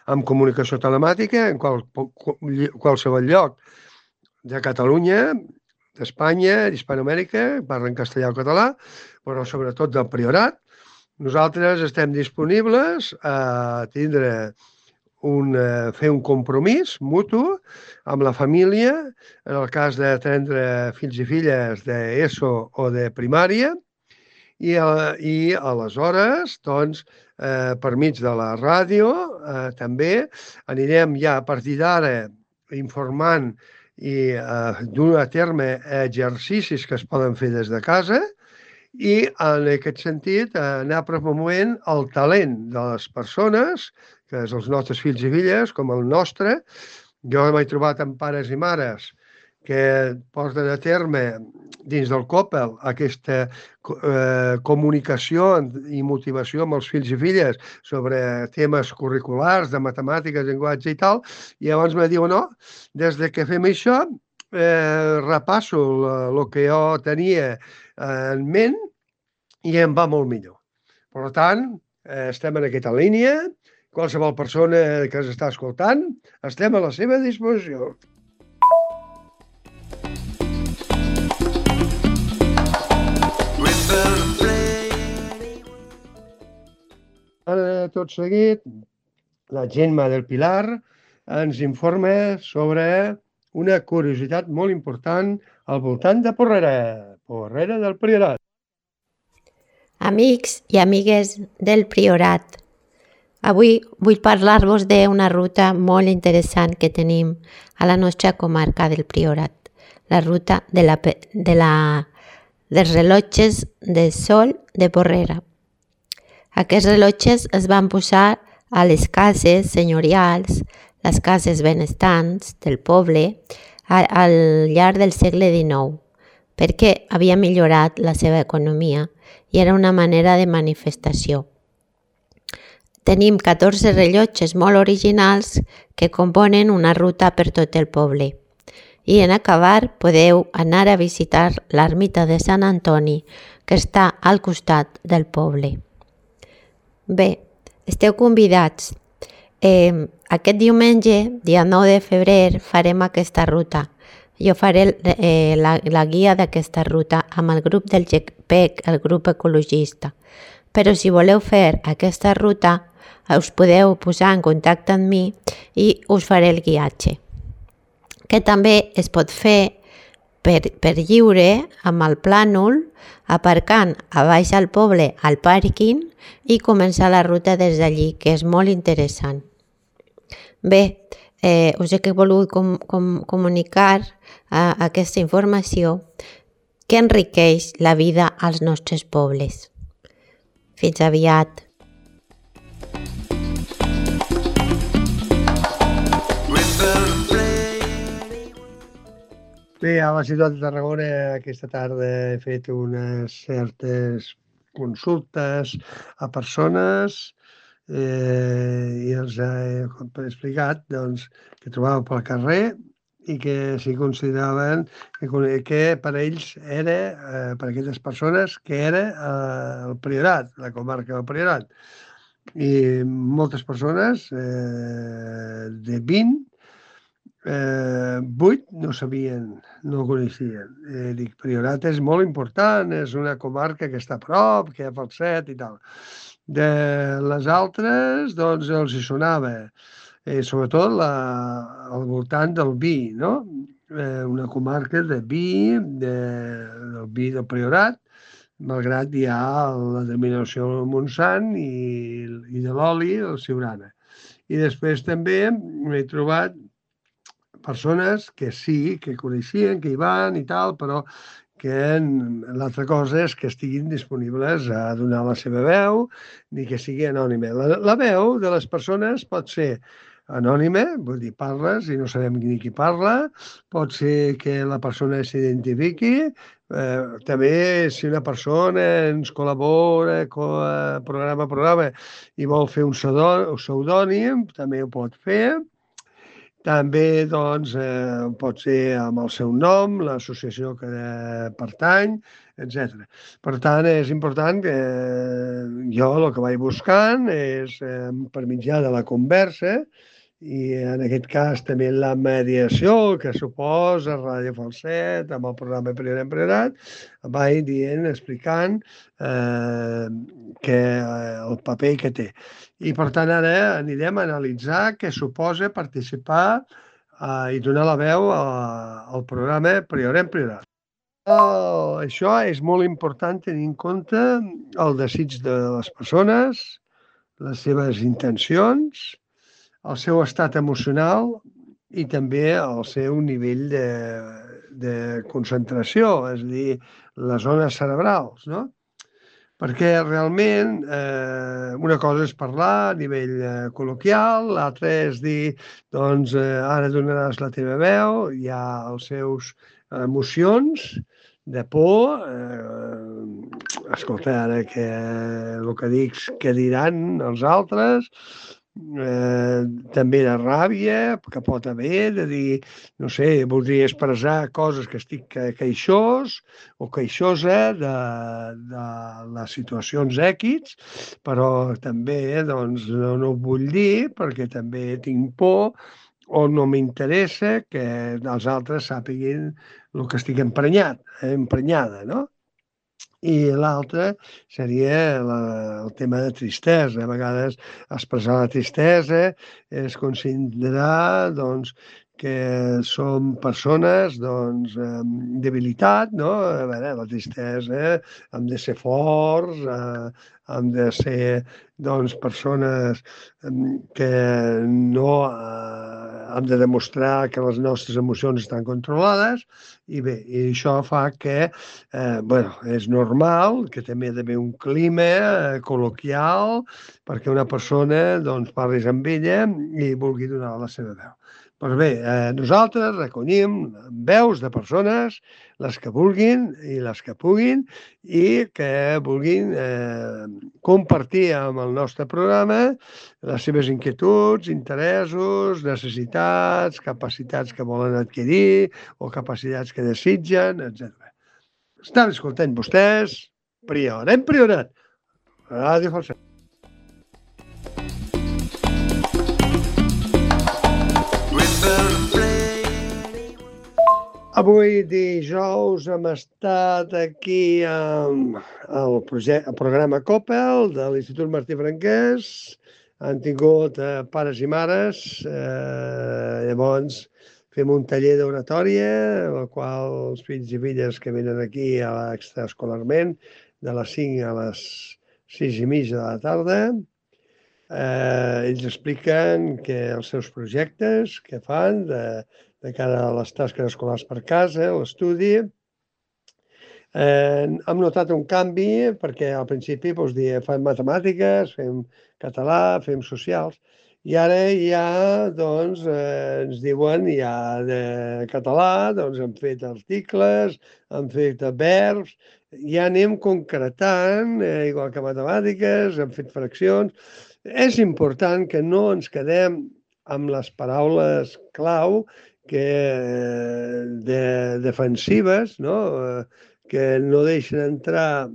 amb comunicació telemàtica en qual, qualsevol lloc de Catalunya, d'Espanya, d'Hispanoamèrica, parlen castellà o català, però sobretot del Priorat. Nosaltres estem disponibles a tindre un, fer un compromís mutu amb la família, en el cas de tindre fills i filles d'ESO o de primària, i, i aleshores, doncs, eh, per mig de la ràdio, eh, també anirem ja a partir d'ara informant i eh, dur a terme exercicis que es poden fer des de casa i, en aquest sentit, anar promovent el talent de les persones, que és els nostres fills i filles, com el nostre. Jo m'he trobat amb pares i mares que porten a terme dins del COPEL aquesta eh, comunicació i motivació amb els fills i filles sobre temes curriculars, de matemàtiques, llenguatge i tal, i llavors me diuen, no, des de que fem això, eh, repasso el que jo tenia en ment i em va molt millor. Per tant, eh, estem en aquesta línia, qualsevol persona que ens està escoltant, estem a la seva disposició. Ara, tot seguit, la Gemma del Pilar ens informa sobre una curiositat molt important al voltant de Porrera, Porrera del Priorat.
Amics i amigues del Priorat, avui vull parlar-vos d'una ruta molt interessant que tenim a la nostra comarca del Priorat, la ruta de la, de la, dels rellotges de sol de Porrera. Aquests rellotges es van posar a les cases senyorials, les cases benestants del poble, al llarg del segle dinou, perquè havia millorat la seva economia i era una manera de manifestació. Tenim catorze rellotges molt originals que componen una ruta per tot el poble. I en acabar podeu anar a visitar l'ermita de Sant Antoni, que està al costat del poble. Bé, esteu convidats. Eh, aquest diumenge, dia nou de febrer, farem aquesta ruta. Jo faré eh, la, la guia d'aquesta ruta amb el grup del G P E C, el grup ecologista. Però si voleu fer aquesta ruta, us podeu posar en contacte amb mi i us faré el guiatge. Que també es pot fer per, per lliure amb el plànol, aparcant a baix al poble al pàrquing i començar la ruta des d'allí, que és molt interessant. Bé, eh, us he volgut com, com, comunicar eh, aquesta informació que enriqueix la vida als nostres pobles. Fins aviat.
Bé, a la ciutat de Tarragona aquesta tarda he fet unes certes consultes a persones eh, i els he explicat doncs, que trobaven pel carrer i que s'hi consideraven que, que per ells era, eh, per aquestes persones, que era eh, el Priorat, la comarca del Priorat. I moltes persones, eh, de vint, Eh, vuit no sabien, no coneixien. Eh, dic, Priorat és molt important, és una comarca que està a prop, que hi ha pel set i tal. De les altres, doncs, els hi sonava, eh, sobretot la, al voltant del vi, no? Eh, una comarca de vi, de, del vi del Priorat, malgrat hi ha la denominació del Montsant i, i de l'oli, el Siurana. I després també m'he trobat persones que sí, que coneixien, que hi van i tal, però que l'altra cosa és que estiguin disponibles a donar la seva veu ni que sigui anònima. La, la veu de les persones pot ser anònima, vull dir, parles i no sabem ni qui parla, pot ser que la persona s'identifiqui, eh, també si una persona ens col·labora programa a programa i vol fer un pseudònim, també ho pot fer. També doncs, eh, pot ser amb el seu nom, l'associació que pertany, etcètera. Per tant, és important que jo el que vaig buscant és, eh, per mitjà de la conversa, i en aquest cas també la mediació que suposa Ràdio Falset amb el programa Primer Emprenerat, vaig dient, explicant eh, que, eh, el paper que té. I per tant ara anirem a analitzar què suposa participar eh, i donar la veu a, al programa Priorem Priorat. Oh, això és molt important tenir en compte el desig de les persones, les seves intencions, el seu estat emocional i també el seu nivell de, de concentració, és a dir, les zones cerebrals, no? Perquè realment eh, una cosa és parlar a nivell eh, col·loquial, l'altra és dir, doncs eh, ara donaràs la teva veu, hi ha els seus emocions de por, eh, escolta, ara que el que dic, què diran els altres, eh, també de ràbia, que pot haver, de dir, no sé, voldria expressar coses que estic queixós o queixosa de, de les situacions èquits, però també doncs, no, no ho vull dir perquè també tinc por o no m'interessa que els altres sàpiguin el que estic emprenyat, eh, emprenyada, no? I l'altre seria la, el tema de tristesa. A vegades expressar la tristesa és considerar doncs, que som persones doncs, amb debilitat, no? A veure, la tristesa hem de ser forts, eh, hem de ser doncs, persones que no eh, hem de demostrar que les nostres emocions estan controlades i bé, i això fa que eh, bueno, és normal que també hi ha d'haver un clima eh, col·loquial perquè una persona doncs, parlis amb ella i vulgui donar la seva veu. Doncs bé, eh, nosaltres recollim veus de persones, les que vulguin i les que puguin, i que vulguin eh, compartir amb el nostre programa les seves inquietuds, interessos, necessitats, capacitats que volen adquirir o capacitats que desitgen, etcètera. Estan escoltant vostès Priorem Priorat, Ràdio Falset. Avui dijous hem estat aquí amb el, projecte, el programa COPEL de l'Institut Martí Franquès. Han tingut eh, pares i mares. Eh, llavors fem un taller d'oratòria, en el qual els fills i filles que venen aquí a l'extraescolarment de les cinc a les sis i mitja de la tarda, eh, ells expliquen que els seus projectes que fan de, de cara a les tasques escolars per casa, l'estudi. Eh, hem notat un canvi perquè al principi doncs, dia, fem matemàtiques, fem català, fem socials, i ara ja doncs, eh, ens diuen ja de català, doncs hem fet articles, hem fet verbs, ja anem concretant, eh, igual que matemàtiques, hem fet fraccions. És important que no ens quedem amb les paraules clau que, de, defensives, no? Que no deixen entrar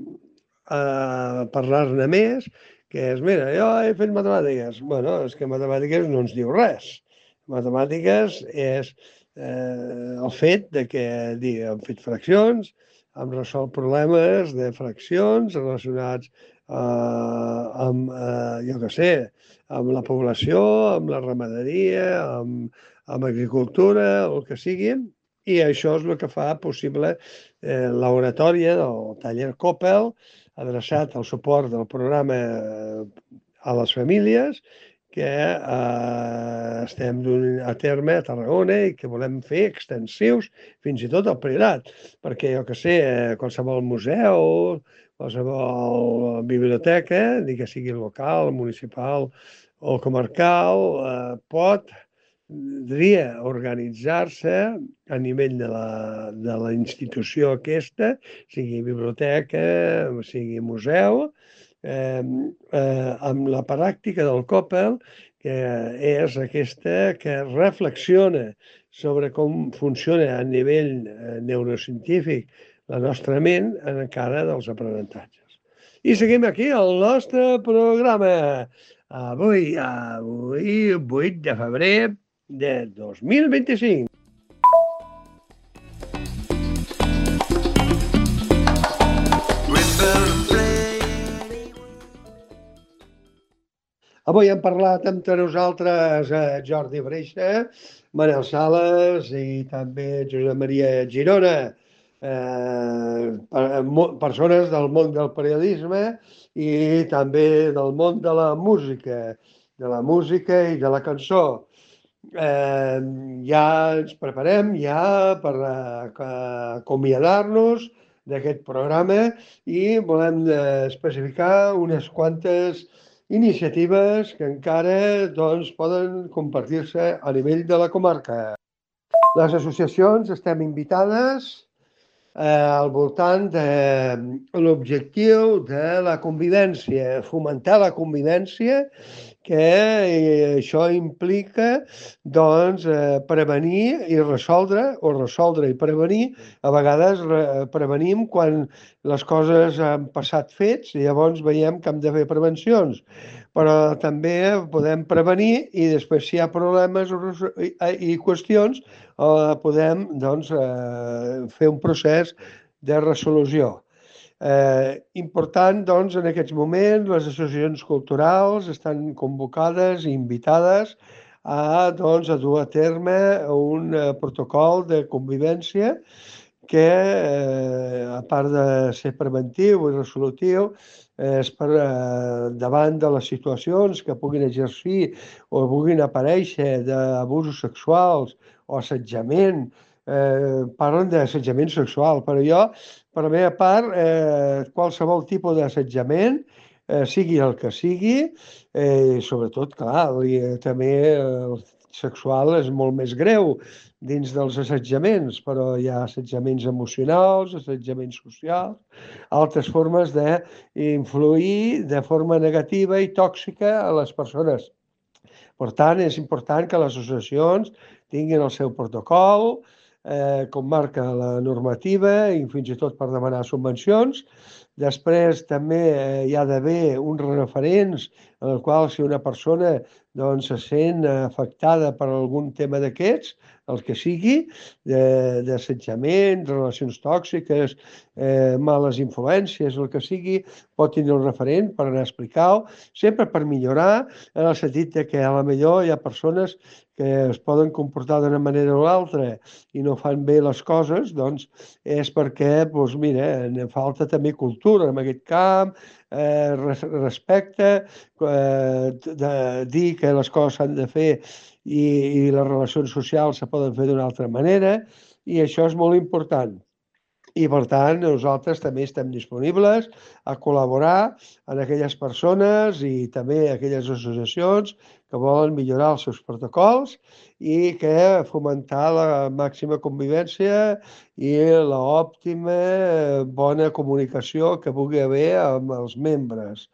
a parlar-ne més, que és, mira, jo he fet matemàtiques. Bueno, és que matemàtiques no ens diu res. Matemàtiques és eh, el fet de que digui, hem fet fraccions, hem resolt problemes de fraccions relacionats eh, amb, eh, jo què sé, amb la població, amb la ramaderia, amb, amb agricultura, el que sigui, i això és el que fa possible eh, l'oratòria del taller COPEL, adreçat al suport del programa a les famílies, que eh, estem duent a terme a Tarragona i que volem fer extensius fins i tot al Priorat, perquè jo que sé, qualsevol museu, qualsevol biblioteca, ni que sigui local, municipal o comarcal, eh, pot podria organitzar-se a nivell de la, de la institució aquesta, sigui biblioteca, sigui museu, eh, eh, amb la pràctica del COPEL, que és aquesta que reflexiona sobre com funciona a nivell neurocientífic la nostra ment encara dels aprenentatges. I seguim aquí el nostre programa. Avui, avui, vuit de febrer de dos mil vint-i-cinc. Avui hem parlat amb nosaltres eh, Jordi Breixa, Manel Sales i també Josep Maria Girona, eh, persones del món del periodisme i també del món de la música, de la música i de la cançó. Eh, ja ens preparem ja per uh, acomiadar-nos d'aquest programa i volem uh, especificar unes quantes iniciatives que encara doncs, poden compartir-se a nivell de la comarca. Les associacions estem invitades eh, al voltant de l'objectiu de la convivència, fomentar la convivència, que eh, això implica doncs, eh, prevenir i resoldre, o resoldre i prevenir. A vegades re, prevenim quan les coses han passat fets i llavors veiem que hem de fer prevencions. Però també podem prevenir i després si hi ha problemes i, i qüestions eh, podem doncs, eh, fer un procés de resolució. Eh, important, doncs, en aquests moments les associacions culturals estan convocades i invitades a, doncs, a dur a terme un eh, protocol de convivència que, eh, a part de ser preventiu i resolutiu, eh, és per eh, davant de les situacions que puguin exercir o puguin aparèixer d'abusos sexuals o assetjament. Eh, parlen d'assetjament sexual, però jo, per la meva part, eh, qualsevol tipus d'assetjament, eh, sigui el que sigui, eh, sobretot, clar, i, també el sexual és molt més greu dins dels assetjaments, però hi ha assetjaments emocionals, assetjaments socials, altres formes d'influir de forma negativa i tòxica a les persones. Per tant, és important que les associacions tinguin el seu protocol, eh, com marca la normativa i fins i tot per demanar subvencions. Després també eh, hi ha d'haver uns referents en el qual si una persona doncs, se sent afectada per algun tema d'aquests, el que sigui, d'assetjament, relacions tòxiques, eh, males influències, el que sigui, pot tenir un referent per anar a explicar-ho, sempre per millorar, en el sentit de que a la millor hi ha persones que es poden comportar d'una manera o l'altra i no fan bé les coses, doncs és perquè, doncs mira, ne falta també cultura en aquest camp, eh, respecte, eh, de dir que les coses s'han de fer i, i les relacions socials se poden fer d'una altra manera, i això és molt important. I, per tant, nosaltres també estem disponibles a col·laborar amb aquelles persones i també aquelles associacions que volen millorar els seus protocols i que fomentar la màxima convivència i l'òptima bona comunicació que pugui haver amb els membres.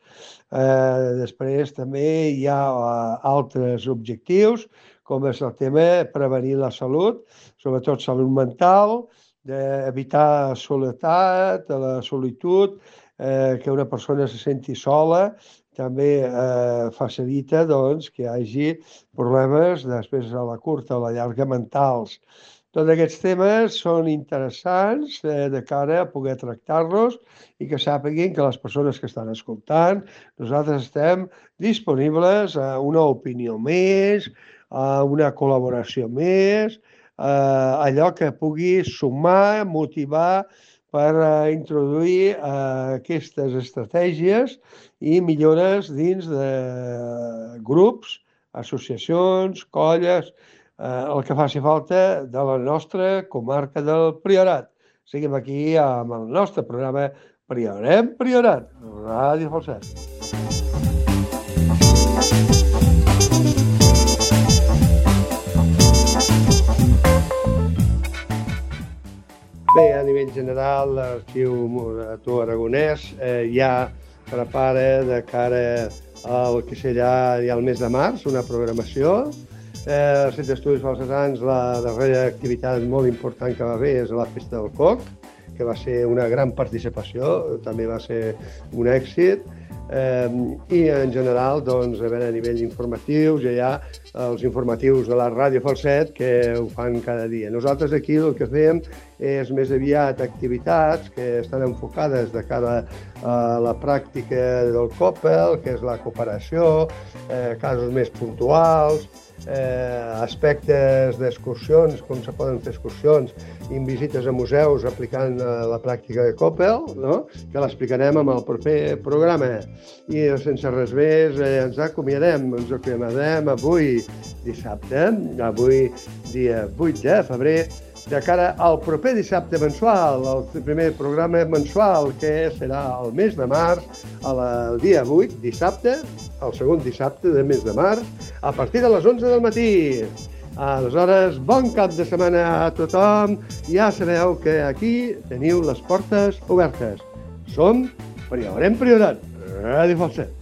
Eh, després també hi ha altres objectius, com és el tema de prevenir la salut, sobretot salut mental, d'evitar soledat, la solitud, eh, que una persona se senti sola, també eh, facilita doncs, que hi hagi problemes després a la curta o a la llarga mentals. Tots aquests temes són interessants eh, de cara a poder tractar-los i que sàpiguin que les persones que estan escoltant, nosaltres estem disponibles a una opinió més, a una col·laboració més, eh, allò que pugui sumar, motivar per eh, introduir eh, aquestes estratègies i millores dins de grups, associacions, colles, eh, el que faci falta de la nostra comarca del Priorat. Seguim aquí amb el nostre programa Priorem Priorat, Ràdio Falset. Bé, a nivell general, l'Arxiu Morató Aragonès eh, ja prepara de cara el que serà ja el mes de març, una programació. Eh, el Centre d'Estudis Falsesans, la darrera activitat molt important que va haver és la Festa del Coc, que va ser una gran participació, també va ser un èxit. Eh, I en general, doncs, a, veure, a nivell informatiu, ja hi ha els informatius de la Ràdio Falset que ho fan cada dia. Nosaltres aquí el que fem és més aviat activitats que estan enfocades de cara a la pràctica del Coppel, que és la cooperació, eh, casos més puntuals, eh, aspectes d'excursions, com se poden fer excursions, i visites a museus aplicant eh, la pràctica de Coppel, no? Que l'explicarem amb el proper programa. I sense res més, eh, ens acomiadem, ens acomiadem avui dissabte, avui dia vuit de febrer, de cara al proper dissabte mensual, el primer programa mensual, que serà el mes de març, el dia vuit, dissabte, el segon dissabte del mes de març, a partir de les onze del matí. Aleshores, bon cap de setmana a tothom. Ja sabeu que aquí teniu les portes obertes. Som Priorat en Priorat, Ràdio Falset.